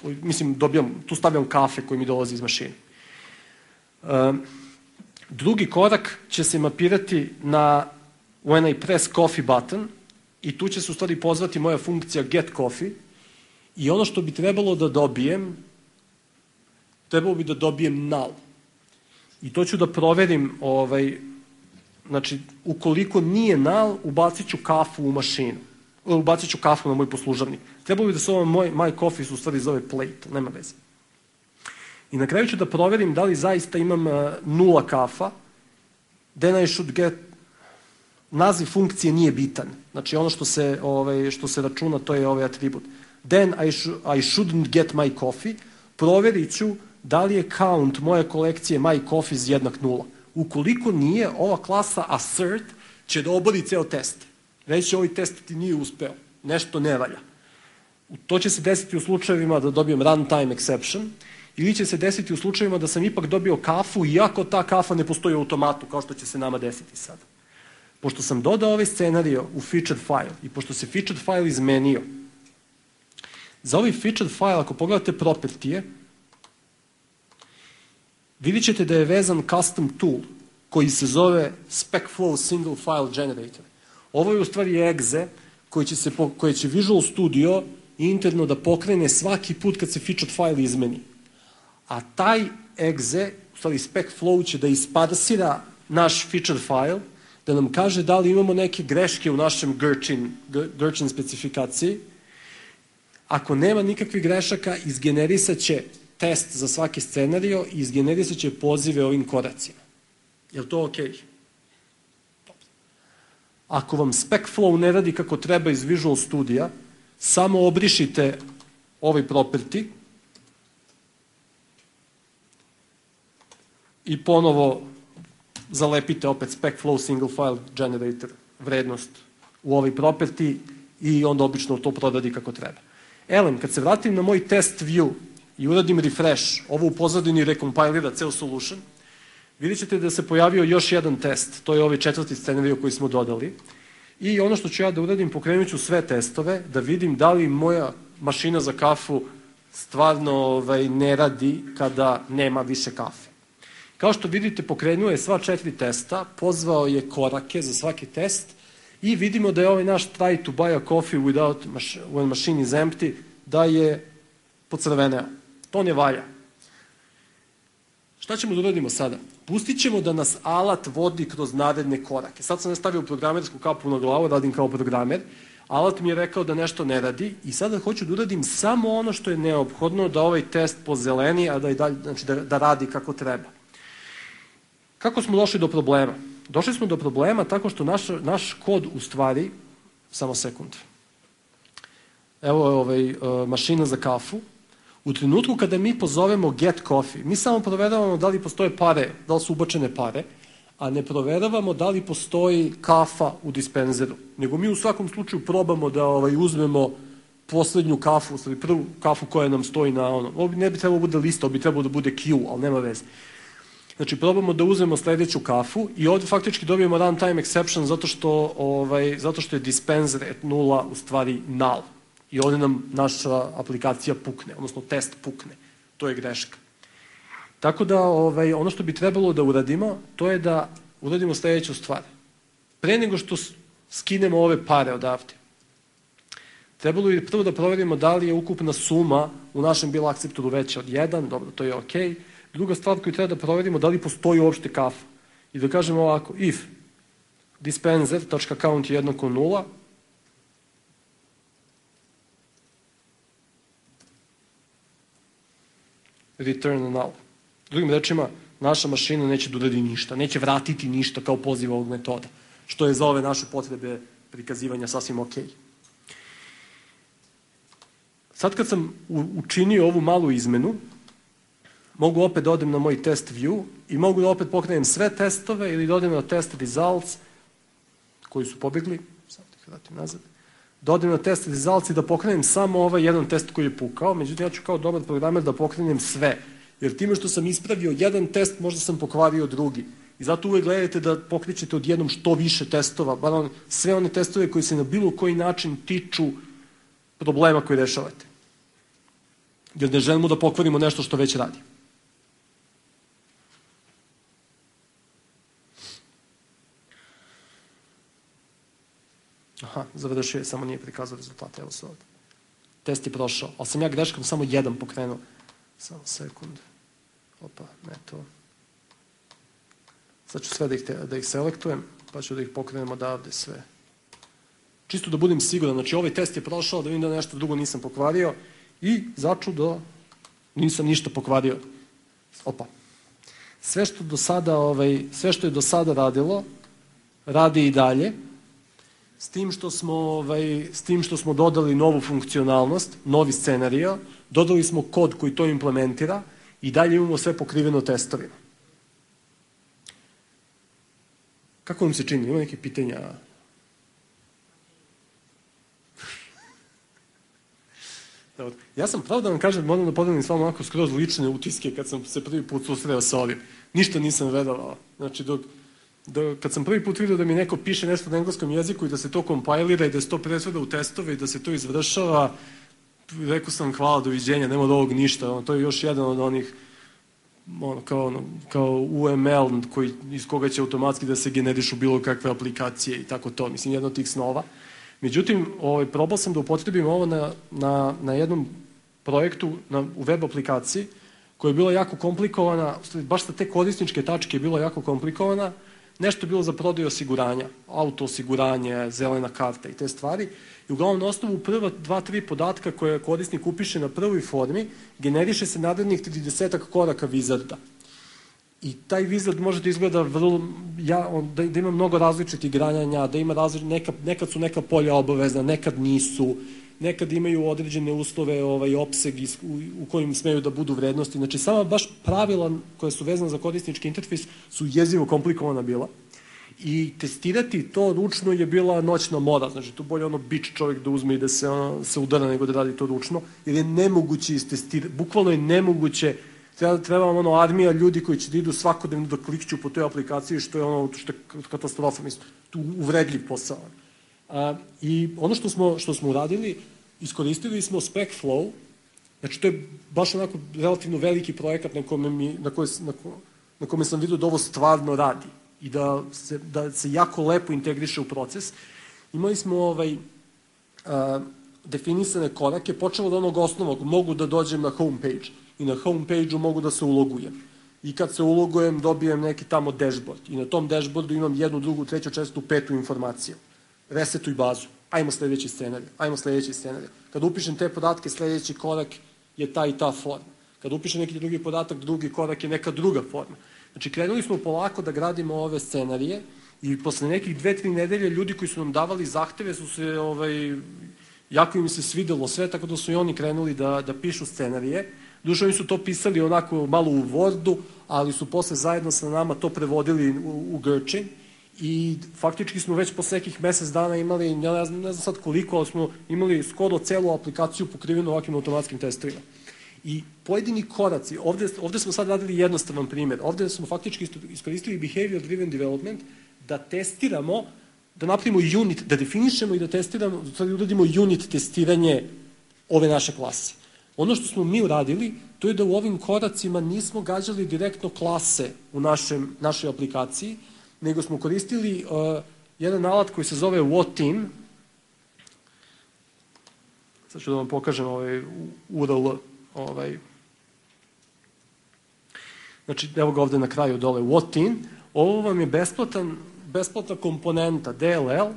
Mislim, dobijam, tu stavljam kafe koji mi dolazi iz mašine. Um, drugi korak će se mapirati na when I press coffee button i tu će se u stvari pozvati moja funkcija get coffee i ono što bi trebalo da dobijem, trebalo bi da dobijem null. I to ću da proverim, ovaj, znači, ukoliko nije null, ubacit ću kafu u mašinu. Ubacit ću kafu na moj poslužavnik. Trebalo bi da se ovo moj, my coffee su u stvari zove plate, nema veze. I na kraju ću da proverim da li zaista imam uh, nula kafa, then I should get, naziv funkcije nije bitan. Znači ono što se, ovaj, što se računa, to je ovaj atribut. Then I, sh I shouldn't get my coffee, proverit ću da li je count moje kolekcije my coffee jednak nula. Ukoliko nije, ova klasa assert će da obori ceo test. Reći ovaj test ti nije uspeo, nešto ne valja. To će se desiti u slučajevima da dobijem runtime exception, ili će se desiti u slučajevima da sam ipak dobio kafu, iako ta kafa ne postoji u automatu, kao što će se nama desiti sada. Pošto sam dodao ovaj scenario u featured file i pošto se featured file izmenio, za ovaj featured file, ako pogledate propertije, vidit ćete da je vezan custom tool koji se zove SpecFlow Single File Generator. Ovo je u stvari exe koji će, se, koji će Visual Studio interno da pokrene svaki put kad se featured file izmeni. A taj exe, u stvari SpecFlow, će da isparsira naš featured file, da nam kaže da li imamo neke greške u našem Gherkin, Gherkin specifikaciji. Ako nema nikakvih grešaka, izgenerisat će test za svaki scenario i izgenerisat će pozive ovim koracima. Je li to okej? Ako vam SpecFlow ne radi kako treba iz Visual Studija, samo obrišite ovaj property i ponovo zalepite opet SpecFlow Single File Generator vrednost u ovaj property i onda obično to prodadi kako treba. Elem, kad se vratim na moj test view i uradim refresh, ovo u pozadini rekompilira ceo solution, vidjet ćete da se pojavio još jedan test, to je ovaj četvrti scenario koji smo dodali. I ono što ću ja da uradim, pokrenut ću sve testove, da vidim da li moja mašina za kafu stvarno ovaj, ne radi kada nema više kafe. Kao što vidite, pokrenuo je sva četiri testa, pozvao je korake za svaki test i vidimo da je ovaj naš try to buy a coffee without when machine is empty, da je pocrveneo. To ne valja. Šta ćemo da uradimo sada? Pustit ćemo da nas alat vodi kroz naredne korake. Sad sam ne stavio programersku kapu na glavu, radim kao programer. Alat mi je rekao da nešto ne radi i sada hoću da uradim samo ono što je neophodno da ovaj test pozeleni, a da, i dalje, znači da, da radi kako treba. Kako smo došli do problema? Došli smo do problema tako što naš, naš kod u stvari, samo sekund, evo je ovaj, uh, mašina za kafu. U trenutku kada mi pozovemo get coffee, mi samo proveravamo da li postoje pare, da li su ubačene pare, a ne proveravamo da li postoji kafa u dispenzeru. Nego mi u svakom slučaju probamo da ovaj, uzmemo poslednju kafu, prvu kafu koja nam stoji na ono. Ovo ne bi trebalo da bude lista, ovo bi trebalo da bude queue, ali nema veze. Znači, probamo da uzmemo sledeću kafu i ovde faktički dobijemo runtime exception zato što, ovaj, zato što je dispenser at nula u stvari null. I ovde nam naša aplikacija pukne, odnosno test pukne. To je greška. Tako da ovaj, ono što bi trebalo da uradimo, to je da uradimo sledeću stvar. Pre nego što skinemo ove pare odavde, trebalo bi prvo da proverimo da li je ukupna suma u našem bill acceptoru veća od jedan, dobro, to je okej. Druga stvar koju treba da proverimo da li postoji uopšte kafa. I da kažemo ovako, if dispenser.count je jednako nula, return null. Drugim rečima, naša mašina neće da uradi ništa, neće vratiti ništa kao poziv ovog metoda, što je za ove naše potrebe prikazivanja sasvim ok. Sad kad sam učinio ovu malu izmenu, mogu opet da odem na moj test view i mogu da opet pokrenem sve testove ili da odem na test results koji su pobegli, sad ih vratim nazad, da odem na test results i da pokrenem samo ovaj jedan test koji je pukao, međutim ja ću kao dobar programer da pokrenem sve, jer time što sam ispravio jedan test, možda sam pokvario drugi. I zato uvek gledajte da pokrećete odjednom što više testova, bar on, sve one testove koji se na bilo koji način tiču problema koji rešavate. Jer ne želimo da pokvarimo nešto što već radi. Aha, završio je, samo nije prikazao rezultate, evo se ovdje. Test je prošao, ali sam ja greškom samo jedan pokrenuo. Samo sekund. Opa, ne to. Sad ću sve da ih, te, da ih selektujem, pa ću da ih pokrenem odavde sve. Čisto da budem siguran, znači ovaj test je prošao, da vidim da nešto drugo nisam pokvario i začudo nisam ništa pokvario. Opa. Sve što do sada, ovaj, sve što je do sada radilo, radi i dalje, s tim što smo, ovaj, s tim što smo dodali novu funkcionalnost, novi scenario, dodali smo kod koji to implementira i dalje imamo sve pokriveno testovima. Kako vam se čini? Ima neke pitanja? Ja sam, pravo da vam kažem, moram da podelim s vama onako skroz lične utiske kad sam se prvi put susreo sa ovim. Ništa nisam verovao. Znači, dok, dok, kad sam prvi put vidio da mi neko piše nešto na engleskom jeziku i da se to kompajlira i da se to presveda u testove i da se to izvršava, rekao sam hvala, doviđenja, nema od ovog ništa. To je još jedan od onih ono, kao, ono, kao U M L koji, iz koga će automatski da se generišu bilo kakve aplikacije i tako to. Mislim, jedno od tih snova. Međutim, ovaj, probao sam da upotrebim ovo na, na, na jednom projektu na, u web aplikaciji koja je bila jako komplikovana, baš sa te korisničke tačke je bila jako komplikovana, nešto je bilo za prodaju osiguranja, auto osiguranje, zelena karta i te stvari. I uglavnom na osnovu prva dva, tri podatka koje korisnik upiše na prvoj formi, generiše se narednih tridesetak koraka wizarda. I taj wizard može da izgleda vrlo, ja, on, da, da ima mnogo različitih granjanja, da ima različit, neka, nekad su neka polja obavezna, nekad nisu, nekad imaju određene uslove, ovaj, opseg iz, u, u kojim smeju da budu vrednosti. Znači, sama baš pravila koje su vezane za korisnički interfejs su jezivo komplikovana bila. I testirati to ručno je bila noćna mora. Znači, tu bolje ono bič čovjek da uzme i da se, ono, se udara nego da radi to ručno, jer je nemoguće istestirati, bukvalno je nemoguće. Treba, treba vam ono armija ljudi koji će da idu svakodnevno da klikću po toj aplikaciji, što je ono, što je katastrofa, mislim, tu uvredljiv posao. A, I ono što smo, što smo uradili, iskoristili smo SpecFlow, znači to je baš onako relativno veliki projekat na kome, mi, na koje, na, na kome sam vidio da ovo stvarno radi i da se, da se jako lepo integriše u proces. Imali smo ovaj, a, definisane korake, počelo od onog osnovog, mogu da dođem na homepage i na homepage-u mogu da se ulogujem. I kad se ulogujem, dobijem neki tamo dashboard. I na tom dashboardu imam jednu, drugu, treću, četvrtu, petu informaciju. Resetuj bazu. Ajmo sledeći scenarij. Ajmo sledeći scenarij. Kad upišem te podatke, sledeći korak je ta i ta forma. Kad upišem neki drugi podatak, drugi korak je neka druga forma. Znači, krenuli smo polako da gradimo ove scenarije i posle nekih dve, tri nedelje ljudi koji su nam davali zahteve su se, ovaj, jako im se svidelo sve, tako da su i oni krenuli da, da pišu scenarije. Duše, oni su to pisali onako malo u Wordu, ali su posle zajedno sa nama to prevodili u, u Gherkin i faktički smo već posle nekih mesec dana imali, ne znam, ne znam sad koliko, ali smo imali skoro celu aplikaciju pokrivenu ovakvim automatskim testovima. I pojedini koraci, ovde, ovde smo sad radili jednostavan primjer, ovde smo faktički iskoristili behavior driven development da testiramo, da napravimo unit, da definišemo i da testiramo, da uradimo unit testiranje ove naše klase. Ono što smo mi uradili, to je da u ovim koracima nismo gađali direktno klase u našem, našoj aplikaciji, nego smo koristili uh, jedan alat koji se zove WhatTeam. Sad ću da vam pokažem ovaj U R L. Ovaj. Znači, evo ga ovde na kraju dole, WhatTeam. Ovo vam je besplatan, besplatna komponenta D L L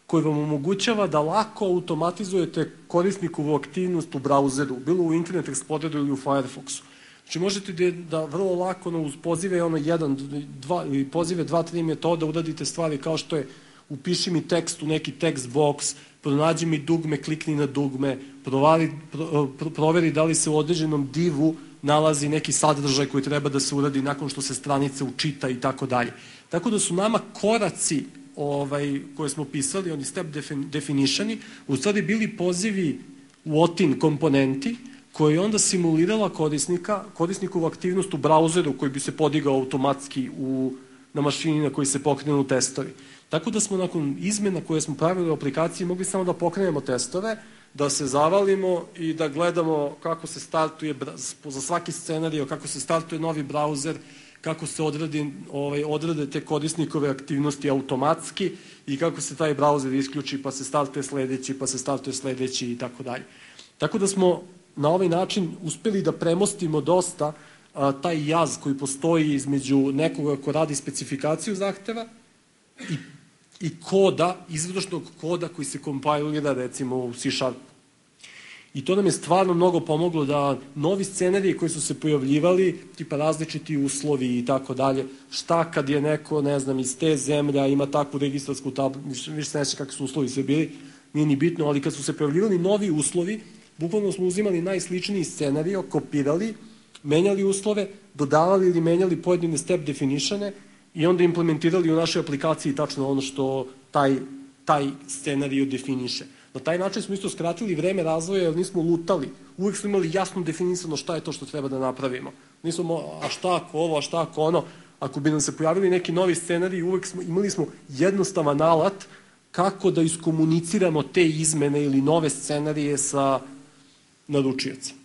koji vam omogućava da lako automatizujete korisnikovu aktivnost u brauzeru, bilo u Internet Exploreru ili u Firefoxu. Znači možete da, da vrlo lako no, uz pozive ono jedan, dva, ili pozive dva, tri metoda uradite stvari kao što je upiši mi tekst u neki text box, pronađi mi dugme, klikni na dugme, provari, pro, pro, proveri da li se u određenom divu nalazi neki sadržaj koji treba da se uradi nakon što se stranica učita i tako dalje. Tako da su nama koraci ovaj, koje smo pisali, oni step definitioni, u stvari bili pozivi what-in komponenti koja je onda simulirala korisnika, korisnikovu aktivnost u brauzeru koji bi se podigao automatski u, na mašini na koji se pokrenu testovi. Tako da smo nakon izmena koje smo pravili u aplikaciji mogli samo da pokrenemo testove, da se zavalimo i da gledamo kako se startuje za svaki scenario, kako se startuje novi brauzer, kako se odradi, ovaj, odrade te korisnikove aktivnosti automatski i kako se taj brauzer isključi pa se startuje sledeći, pa se startuje sledeći i tako dalje. Tako da smo na ovaj način uspeli da premostimo dosta a, taj jaz koji postoji između nekoga ko radi specifikaciju zahteva i, i koda, izvršnog koda koji se kompilira recimo u C Sharp. I to nam je stvarno mnogo pomoglo da novi scenariji koji su se pojavljivali, tipa različiti uslovi i tako dalje, šta kad je neko, ne znam, iz te zemlja ima takvu registarsku tablu, više se neće kakvi su uslovi sve bili, nije ni bitno, ali kad su se pojavljivali novi uslovi, bukvalno smo uzimali najsličniji scenario, kopirali, menjali uslove, dodavali ili menjali pojedine step definitione i onda implementirali u našoj aplikaciji tačno ono što taj, taj scenario definiše. Na taj način smo isto skratili vreme razvoja jer nismo lutali. Uvek smo imali jasno definisano šta je to što treba da napravimo. Nismo, a šta ako ovo, a šta ako ono. Ako bi nam se pojavili neki novi scenarij, uvek smo, imali smo jednostavan alat kako da iskomuniciramo te izmene ili nove scenarije sa naručiocem.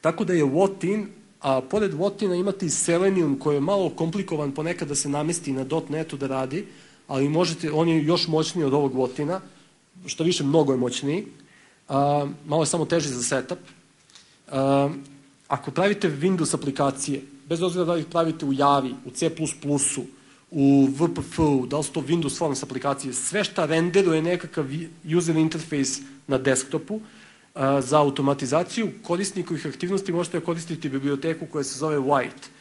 Tako da je what-in, a pored what-ina imate i Selenium koji je malo komplikovan ponekad da se namesti na .netu da radi, ali možete, on je još moćniji od ovog what-ina, što više mnogo je moćniji, a, malo je samo teži za setup. A, ako pravite Windows aplikacije, bez obzira da ih pravite u Javi, u C plus plus, u V P F-u, da li su to Windows Forms aplikacije, sve šta renderuje nekakav user interface na desktopu, a, za automatizaciju korisnikovih aktivnosti možete koristiti biblioteku koja se zove White,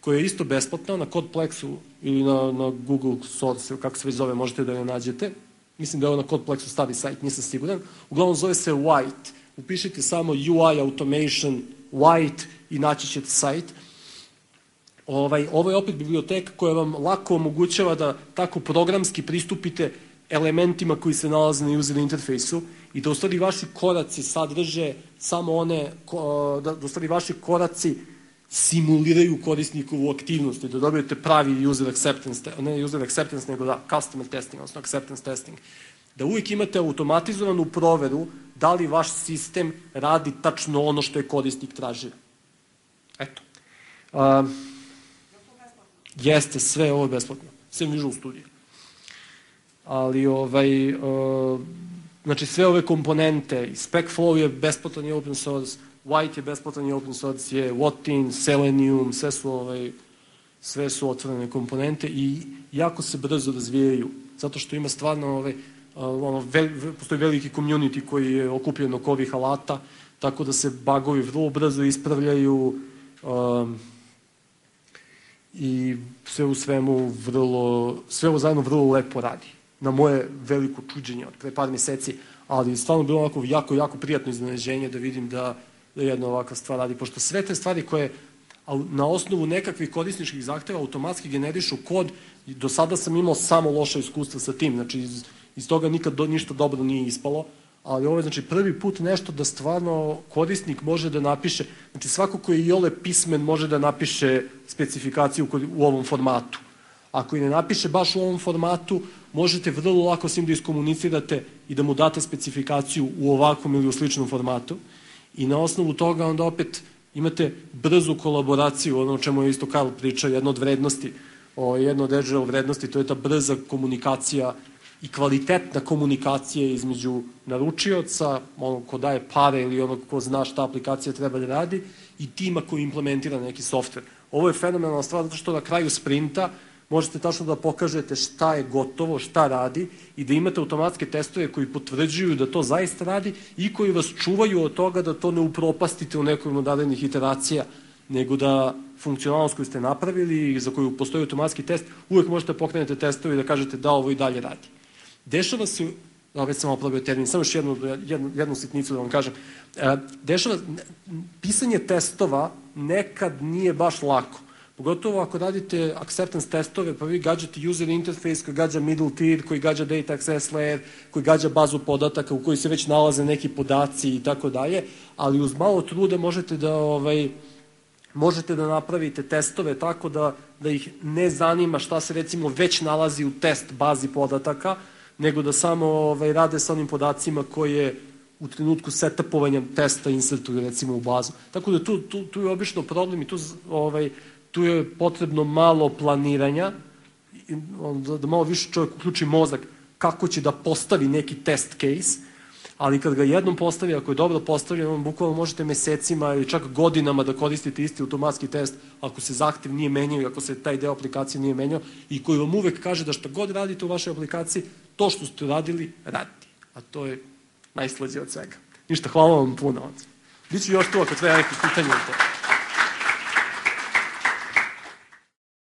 koja je isto besplatna, na Codeplexu ili na, na Google Source, kako se već zove, možete da je nađete. Mislim da je ovo na Codeplexu stari sajt, nisam siguran. Uglavnom zove se White. Upišite samo U I Automation White i naći ćete sajt. Ovaj, ovo je opet biblioteka koja vam lako omogućava da tako programski pristupite elementima koji se nalaze na user interfejsu i da u stvari vaši koraci sadrže samo one, da u stvari vaši koraci simuliraju korisnikovu aktivnost i da dobijete pravi user acceptance, ne user acceptance, nego da customer testing, odnosno acceptance testing. Da uvijek imate automatizovanu proveru da li vaš sistem radi tačno ono što je korisnik tražio. Eto. Uh, jeste, sve ovo je besplatno. Sve Visual Studio. Ali, ovaj, uh, znači sve ove komponente, SpecFlow je besplatan i open source, White je besplatan i open source, je what-in, Selenium, sve su, ovaj, sve su otvorene komponente i jako se brzo razvijaju, zato što ima stvarno, ovaj, ono, vel, postoji veliki community koji je okupljen oko ovih alata, tako da se bugovi vrlo brzo ispravljaju um, i sve u svemu vrlo, sve ovo zajedno vrlo lepo radi. Na moje veliko čuđenje od pre par meseci, ali stvarno bilo onako jako, jako prijatno iznenađenje da vidim da da jedna ovakva stvar radi, pošto sve te stvari koje na osnovu nekakvih korisničkih zahteva automatski generišu kod, do sada sam imao samo loše iskustva sa tim, znači iz, iz toga nikad do, ništa dobro nije ispalo, ali ovo je znači prvi put nešto da stvarno korisnik može da napiše, znači svako ko je iole pismen može da napiše specifikaciju u ovom formatu. Ako i ne napiše baš u ovom formatu, možete vrlo lako s njim da iskomunicirate i da mu date specifikaciju u ovakvom ili u sličnom formatu. I na osnovu toga onda opet imate brzu kolaboraciju, ono o čemu je isto Karl pričao, jedna od vrednosti, o, jedna od Azure vrednosti, to je ta brza komunikacija i kvalitetna komunikacija između naručioca, onog ko daje pare ili onog ko zna šta aplikacija treba da radi i tima koji implementira neki softver. Ovo je fenomenalna stvar zato što na kraju sprinta možete tačno da pokažete šta je gotovo, šta radi i da imate automatske testove koji potvrđuju da to zaista radi i koji vas čuvaju od toga da to ne upropastite u nekoj od narednih iteracija nego da funkcionalnost koju ste napravili i za koju postoji automatski test, uvek možete pokrenuti testove i da kažete da ovo i dalje radi. Dešava se, već sam opravio termin, samo još jednu, jednu, jednu sitnicu da vam kažem, dešava, pisanje testova nekad nije baš lako. Pogotovo ako radite acceptance testove, pa vi gađate user interface koji gađa middle tier, koji gađa data access layer, koji gađa bazu podataka u kojoj se već nalaze neki podaci i tako dalje, ali uz malo truda možete da, ovaj, možete da napravite testove tako da, da ih ne zanima šta se recimo već nalazi u test bazi podataka, nego da samo ovaj, rade sa onim podacima koje u trenutku setupovanja testa insertuju recimo u bazu. Tako da tu, tu, tu je obično problem i tu ovaj, tu je potrebno malo planiranja, da malo više čovjek uključi mozak kako će da postavi neki test case, ali kad ga jednom postavi, ako je dobro postavljen, on bukvalno možete mesecima ili čak godinama da koristite isti automatski test ako se zahtev nije menjao i ako se taj deo aplikacije nije menjao i koji vam uvek kaže da šta god radite u vašoj aplikaciji, to što ste radili, radite. A to je najslađe od svega. Ništa, hvala vam puno. Biću još tu ako treba nekih pitanja o to.